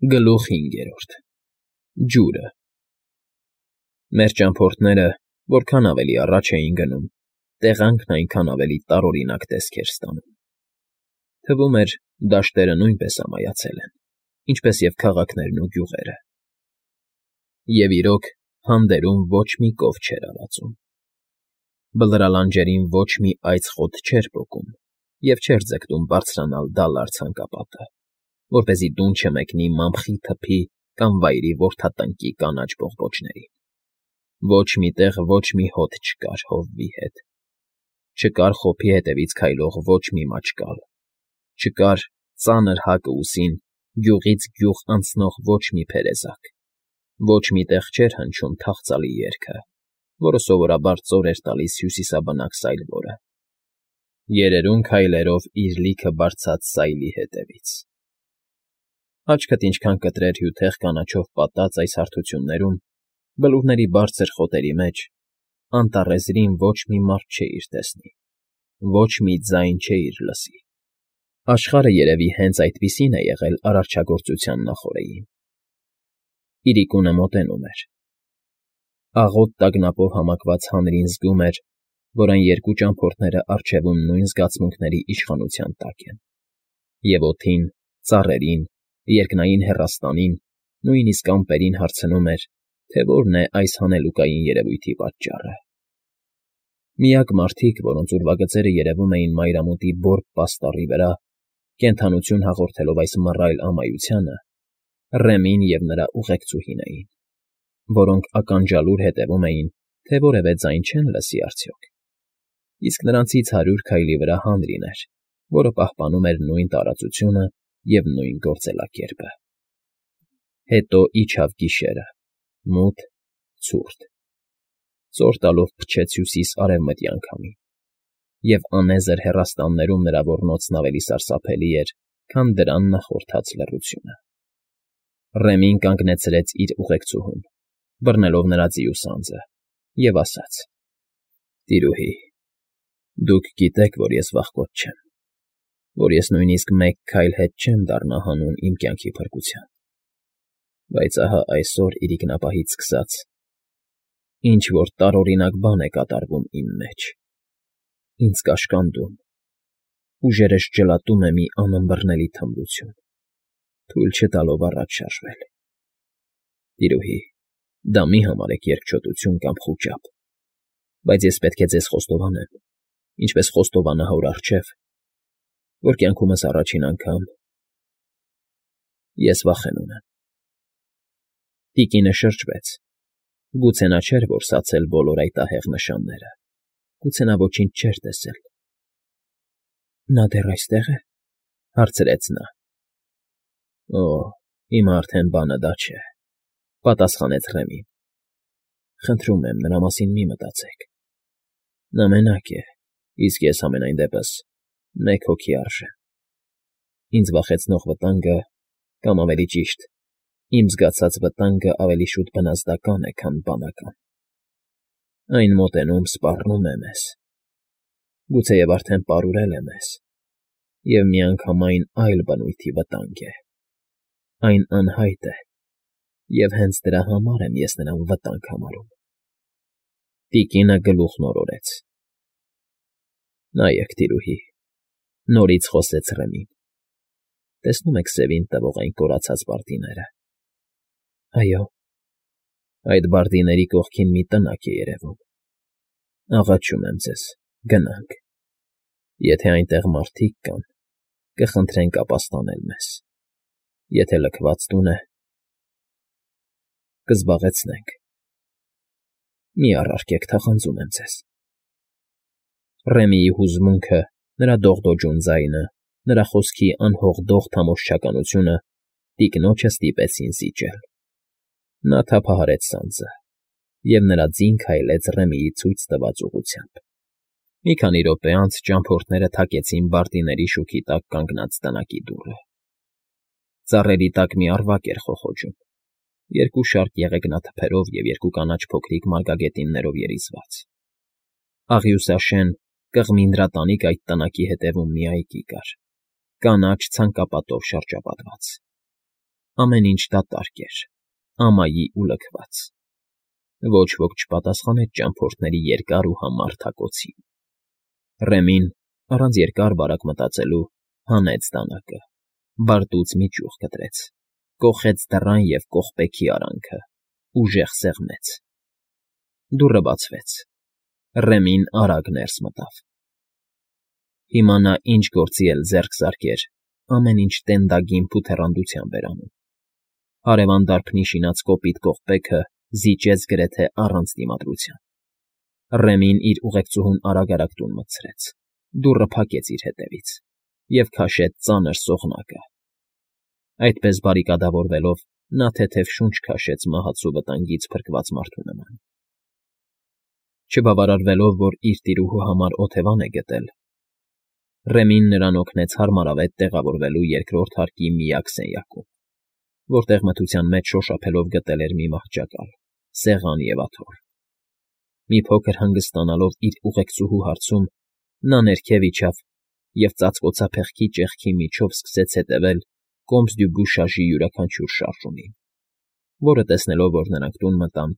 Գլուխ 5 Ջուրը Մեր ճամփորդները որքան ավելի առաջ էին գնում, տեղանքն այնքան ավելի տարօրինակ տեսք էր ստանում. թվում էր, դաշտերը նույնպես ամայացել են, ինչպես և քաղաքներն ու գյուղերը։ Եվ իրոք, հանդերում ոչ մի կով չէր արածում։ Բլրալանջերին ոչ մի այծ խոտ չէր պոկում և չէր ձգտում բարձրանալ դալար ցանկապատը, որպեսզի տուն չմեկնի մամխի թփի կամ վայրի որդատնկի կանաչ բողբոջներին։ Ոչ մի տեղ ոչ մի հոտ չկար հովվի հետ, չկար խոփի հետևից քայլող ոչ մի մաճկալ, չկար ծանր հակը ուսին գյուղից գյուղ անցնող ոչ մի փերեզակ, ոչ մի տեղ չէր հնչում թախծալի երգը, որը սովորաբար ծոր էր տալիս հյուսիսաբնակ սայլվորը, երերուն քայլերով իր լիքը բարձած սայլի հետևից։ Աչքդ ինչքան կտրեր հյութեղ կանաչով պատած այս հարթություններում, բլուրների բարձր խոտերի մեջ, անտառեզրին ոչ մի մարդ չէիր տեսնի, ոչ մի ձայն չէիր լսի։ Աշխարհը երևի հենց այդպիսին է եղել արարչագործության նախօրեին։ Իրիկունը մոտենում էր։ Աղոտ տագնապով համակված հանրին զգում էր, որ այն երկու ճամփորդները առջևում նույն զգացմունքների իշխանության տակ են, և օդին, ծառերին, երկնային հեռաստանին, նույնիսկ ամպերին հարցնում էր, թե որն է այս հանելուկային երևույթի պատճառը։ Միակ մարդիկ, որոնց ուրվագծերը երևում էին մայրամուտի բորբ պաստառի վրա, կենդանություն հաղորդելով այս մռայլ ամայությանը, Ռեմին և նրա ուղեկցուհին էին, որոնք ականջալուր հետևում էին, թե որևէ ձայն չեն լսի արդյոք, իսկ նրանցից 100 քայլի վրա հանրին էր, որը պահպանում էր նույն տարածությունը և նույն գործելակերպը։ Հետո իջավ գիշերը, մութ, ցուրտ, ծոր տալով փչեց հյուսիս֊արևմտյան քամին, և անեզր հեռաստաններում նրա ոռնոցն ավելի սարսափելի էր, քան դրան նախորդած լռությունը։ Ռեմին կանգնեցրեց իր ուղեկցուհուն, բռնելով նրա ձիու սանձը, և ասաց. «Տիրուհի, դուք գիտեք, որ ես վախկոտ չեմ, որ ես նույնիսկ մեկ քայլ հետ չեմ դառնա հանուն իմ կյանքի փրկության, բայց ահա այսօր իրիկնապահից սկսած ինչ֊որ տարօրինակ բան է կատարվում իմ մեջ, ինձ կաշկանդում, ուժերս ջլատում է մի անըմբռնելի թմրություն, թույլ չտալով առաջ շարժվել։ Տիրուհի, դա մի համարեք երկչոտություն կամ խուճապ, բայց ես պետք է ձեզ խոստովանեմ, ինչպես խոստովանա հոր առջև, որ կյանքումս առաջին անգամ ես վախենում եմ»։ Տիկինը շրջվեց, գուցե նա չէր որսացել բոլոր այդ ահեղ նշանները, գուցե նա ոչինչ չէր տեսել։ «Նա դեռ այստե՞ղ է,֊ հարցրեց նա։ «Օ, հիմա արդեն բանը դա չէ,֊ պատասխանեց Ռեմին։ «Խնդրում եմ, նրա մասին մի մտածեք։ Նա մենակ է, իսկ ես, համենայն դեպս, մեկ հոգի արժեմ։ Ինձ վախեցնող վտանգը, կամ ավելի ճիշտ, իմ զգացած վտանգը ավելի շուտ բնազդական է, քան բանական։ Այն մոտենում սպառնում է մեզ, գուցեև արդեն պարուրել է մեզ, և միանգամայն այլ բնույթի վտանգ է։ Այն անհայտ է, և հենց դրա համար եմ ես նրան վտանգ համարում»։ Տիկինը գլուխն օրորեց։ «Նայեք, տիրուհի,֊ նորից խոսեց Ռեմին,֊ տեսնում եք սևին տվող այն կորացած բարդիները։ Այո, այդ բարդիների կողքին մի տնակ է երևում։ Աղաչում եմ ձեզ, գնանք։ Եթե այնտեղ մարդիկ կան, կխնդրենք ապաստանել մեզ, եթե լքված տուն է, կզբաղեցնենք։ Մի առարկեք, թախանձում եմ ձեզ»։ Ռեմիի հուզմունքը, նրա դողդոջուն ձայնը, նրա խոսքի անհողդող թամոշչականությունը տիկնոջը ստիպեցին զիջել։ Նա թափահարեց սանձը, և նրա ձին քայլեց Ռեմիի ցույց տված ուղղությամբ։ Մի քանի րոպե անց ճամփորդները թակեցին բարդիների շուքի տակ կանգնած տնակի դուռը։ Ծառերի տակ մի առվակ էր խոխոջում, երկու շարք եղեգնաթփերով և երկու կանաչ փոքրիկ մարգագետիններով երիզված։ Աղյուսաշեն, կղմինդրատանիկ այդ տնակի հետևում մի այգի կար, կանաչ ցանկապատով շրջապատված։ Ամեն ինչ դատարկ էր, ամայի ու լքված։ Ոչ ոք չպատասխանեց ճամփորդների երկար ու համառ թակոցին։ Ռեմին, առանց երկար բարակ մտածելու, հանեց դանակը, բարտուց մի ճյուղ կտրեց, կոխեց դռան և կողպեքի արանքը, ուժեղ սեղմեց։ Դուռը բացվեց։ Ռեմին արագ ներս մտավ։ Հիմա նա ինչ գործի էլ ձեռք զարկեր, ամեն ինչ տենդագիմփ ու թեռանդությամբ էր անում։ Հարևան դարբնի շինած կոպիտ կողպեքը զիջեց գրեթե առանց դիմադրության։ Ռեմին իր ուղեկցուհուն արագ տուն մտցրեց, դուռը փակեց իր հետևից և քաշեց ծանր սողնակը։ Այդպես բարիկադավորվելով, նա թեթև շունչ քաշեց մահացու վտանգից փրկված մարդու նման։ Չբավարարվելով, որ իր տիրուհու համար օթևան է գտել, Ռեմին նրան օգնեց հարմարավետ տեղավորվելու երկրորդ հարկի միակ սենյակում, որտեղ մթության մեջ շոշափելով գտել էր մի մահճակալ, սեղան և աթոռ։ Մի փոքր հանգստանալով իր ուղեկցուհու հարցում, նա ներքև իջավ և ծածկոցափեղկի ճեղքի միջով սկսեց հետևել Կոմս֊դյու֊Բուշաժի յուրաքանչյուր շարժումին, որը, տեսնելով, որ նրանք տուն մտան,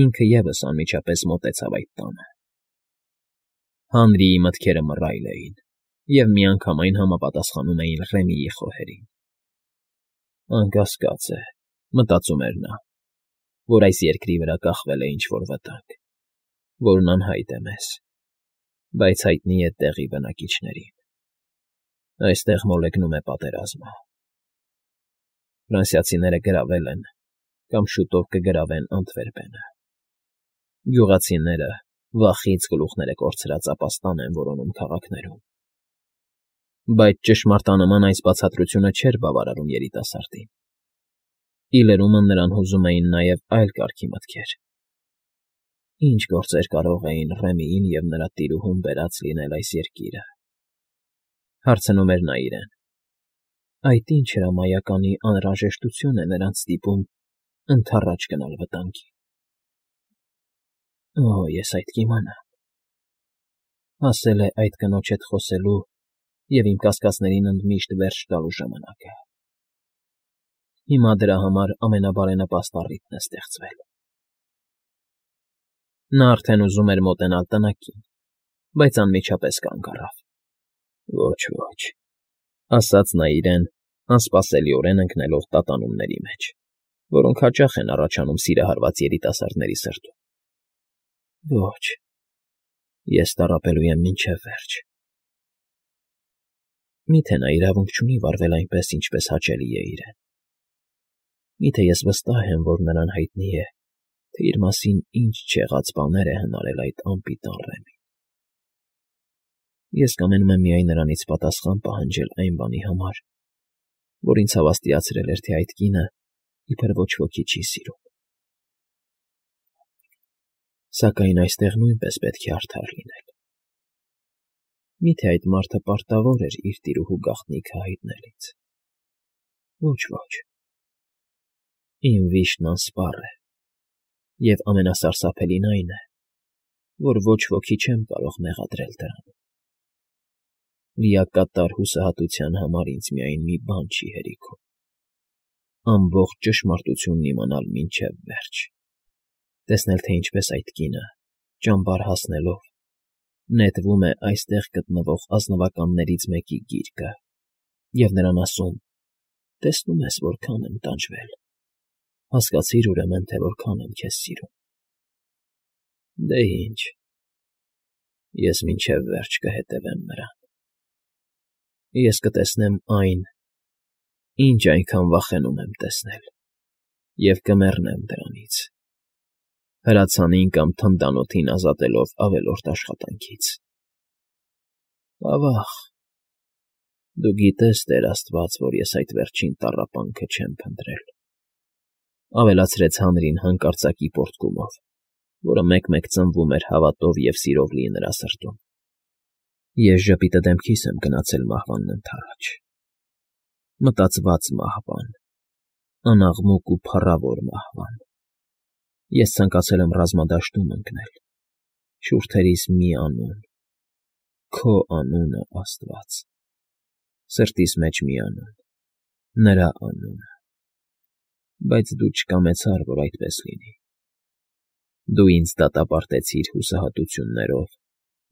ինքը ևս անմիջապես մոտեցավ այդ տանը։ Հանրիի մտքերը մռայլ էին և միանգամայն համապատասխանում էին Ռեմիի խոհերին։ «Անկասկած է,֊ մտածում էր նա,֊ որ այս երկրի վրա կախվել է ինչ֊որ վտանգ, որն անհայտ է մեզ, բայց հայտնի է տեղի բնակիչներին։ Այստեղ մոլեգնում է պատերազմը։ Ֆրանսիացիները գրավել են կամ շուտով կգրավեն Անտվերպենը։ Գյուղացիները վախից գլուխները կորցրած ապաստան են որոնում քաղաքներում։ Բայց ճշմարտանման այս բացատրությունը չէր բավարարում երիտասարդին։ Ի լրումն նրան հուզում էին նաև այլ կարգի մտքեր. ինչ գործեր կարող էին Ռեմիին և նրա տիրուհուն բերած լինել այս երկիրը։ Հարցնում էր նա իրեն. այդ ինչ հրամայականի անհրաժեշտություն է նրանց ստիպում ընդառաջ գնալ վտանգի։ Օ՜, ես այդ կիմանամ։ Հասել է այդ կնոջ հետ խոսելու և իմ կասկածներին ընդմիշտ վերջ տալու ժամանակը։ Հիմա դրա համար ամենաբարենպաստ առիթն է ստեղծվել։ Նա արդեն ուզում էր մոտենալ տնակին, բայց անմիջապես կանգ առավ։ Ոչ,֊ ասաց նա իրեն, անսպասելիորեն ընկնելով տատանումների մեջ, որոնք հաճախ են առաջանում սիրահարված երիտասարդների սրտում։ Ոչ, ես տառապելու եմ մինչև վերջ։ Մի՞թե նա իրավունք չունի վարվել այնպես, ինչպես հաճելի է իրեն։ Մի՞թե ես վստահ եմ, որ նրան հայտնի է, թե իր մասին ինչ չեղած բաներ է հնարել այդ անպիտան Ռեմին։ Ես կամենում եմ միայն նրանից պատասխան պահանջել այն բանի համար, որ ինձ հավաստիացրել էր, թե այդ կինը իբր ոչ ոքի չի սիրում։ Սակայն այստեղ նույնպես պետք է արդար լինել։ Մի՞թե այդ մարդը պարտավոր էր իր տիրուհու գաղտնիքը հայտնելիս։ Ոչ, իմ վիշտն անսպառ է, և ամենասարսափելին այն է, որ ոչ ոքի չեմ կարող մեղադրել դրանում։ Լիակատար հուսահատության համար ինձ միայն մի բան չի հերիքում. ամբողջ ճշմարտությունն իմանալ մինչև վերջ, տեսնել, թե ինչպես այդ կինը, ճամբար հասնելով, նետվում է այստեղ գտնվող ազնվականներից մեկի գիրկը և նրան ասում. տեսնում ես որքան եմ տանջվել, հասկացիր ուրեմն, թե որքան եմ քեզ սիրում։ Դե ինչ, ես մինչև վերջ կհետևեմ նրան։ Ես կտեսնեմ այն, ինչ այնքան վախենում եմ տեսնել, և կմեռնեմ դրանից, հրացանին կամ թնդանոթին ազատելով ավելորդ աշխատանքից։ Ավա՜ղ, դու գիտես, Տեր աստված, որ ես այդ վերջին տառապանքը չեմ փնտրել,֊ ավելացրեց հանրին հանկարծակի պոռթկումով, որը մեկ֊մեկ ծնվում էր հավատով և սիրով լի նրա սրտում։ Ես ժպիտը դեմքիս եմ գնացել մահվանն ընդառաջ։ Մտածված մահվան, անաղմուկ ու փառավոր մահվան։ Ես ցանկացել եմ ռազմադաշտում ընկնել, շուրթերիս մի անուն, քո անունը, Աստված, սրտիս մեջ մի անուն, նրա անունը։ Բայց դու չկամեցար, որ այդպես լինի։ Դու ինձ դատապարտեցիր հուսահատություններով,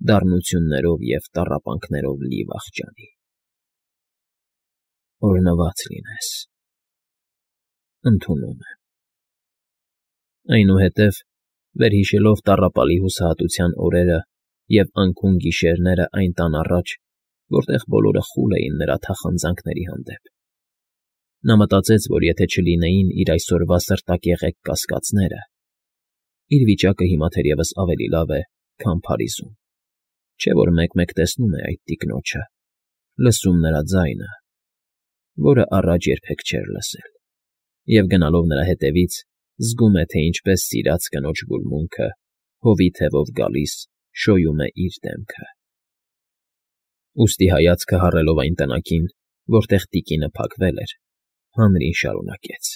դառնություններով և տառապանքներով լի վախճանի։ Օրհնված լինես… Ընդունում եմ… Այնուհետև, վերհիշելով տառապալի հուսահատության օրերը և անքուն գիշերները այն տան առաջ, որտեղ բոլորը խուլ էին նրա թախանձանքների հանդեպ, նա մտածեց, որ եթե չլինեին իր այսօրվա սրտակեղեկ կասկածները, իր վիճակը հիմա թերևս ավելի լավ է, քան Փարիզում, չէ՞ որ մեկ֊մեկ տեսնում է այդ տիկնոջը, լսում նրա ձայնը, որը առաջ երբեք չէր լսել, և գնալով նրա հետևից, զգում է, թե ինչպես սիրած կնոջ գուրմունքը, հովի թևով գալիս, շոյում է իր դեմքը… Ուստի հայացքը հառելով այն տնակին, որտեղ տիկինը փակվել էր, հանրին շարունակեց.